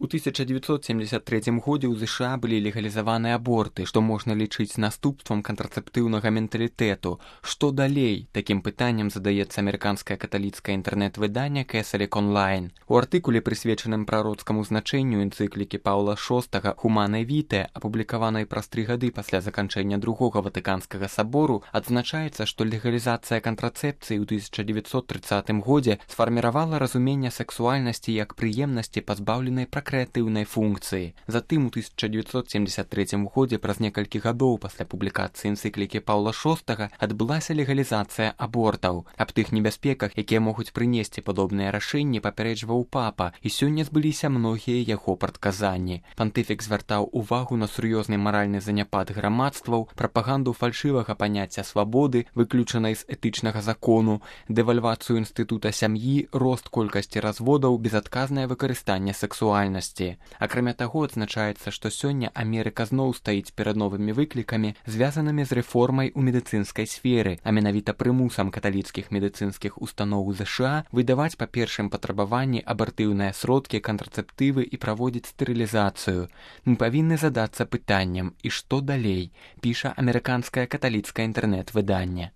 У 1973 годзе ў ЗША былі легалізаваны аборты, што можна лічыць наступствам кантрацэптыўнага менталітэту. Што далей? Такім пытаннем задаецца амерыканскае каталіцкае інтэрнэт-выданне Catholic Online. У артыкуле, прысвечаным прароцкаму значэнню энцыклікі Паўла VI «Humanae Vitae», апублікаванай праз 3 гады пасля заканчэння Другога Ватыканскага сабору, адзначаецца, што легалізацыя кантрацэпцыі ў 1930 годзе сфарміравала разуменне сексуальнасці як прыемнасці, пазбаўленай крэатыўнай функцыі. Затым у 1973 годзе, праз некалькі гадоў пасля публікацыі энцыклікі Паўла VI, адбылася легалізацыя абортаў. Аб тых небяспеках, якія могуць прынесці падобныя рашэнні, папярэджваў папа, і сёння збыліся многія яго прадказанні. Пантыфік звяртаў увагу на сур'ёзны маральны заняпад грамадстваў, прапаганду фальшывага паняцця свабоды, выключанай з этычнага закону, дэвальвацыю інстытута сям'і, рост колькасці разводаў, безадказнае выкарыстанне сексуальнасці. Акрамя таго, адзначаецца, што сёння Амерыка зноў стаіць перад новымі выклікамі, звязанымі з рэформай у медыцынскай сферы, а менавіта прымусам каталіцкіх медыцынскіх устаноў ЗША выдаваць па першым патрабаванні абартыўныя сродкі, кантрацэптывы і праводзіць стэрылізацыю. Мы павінны задацца пытаннем, і што далей, піша амерыканскае каталіцкае інтэрнэт-выданне.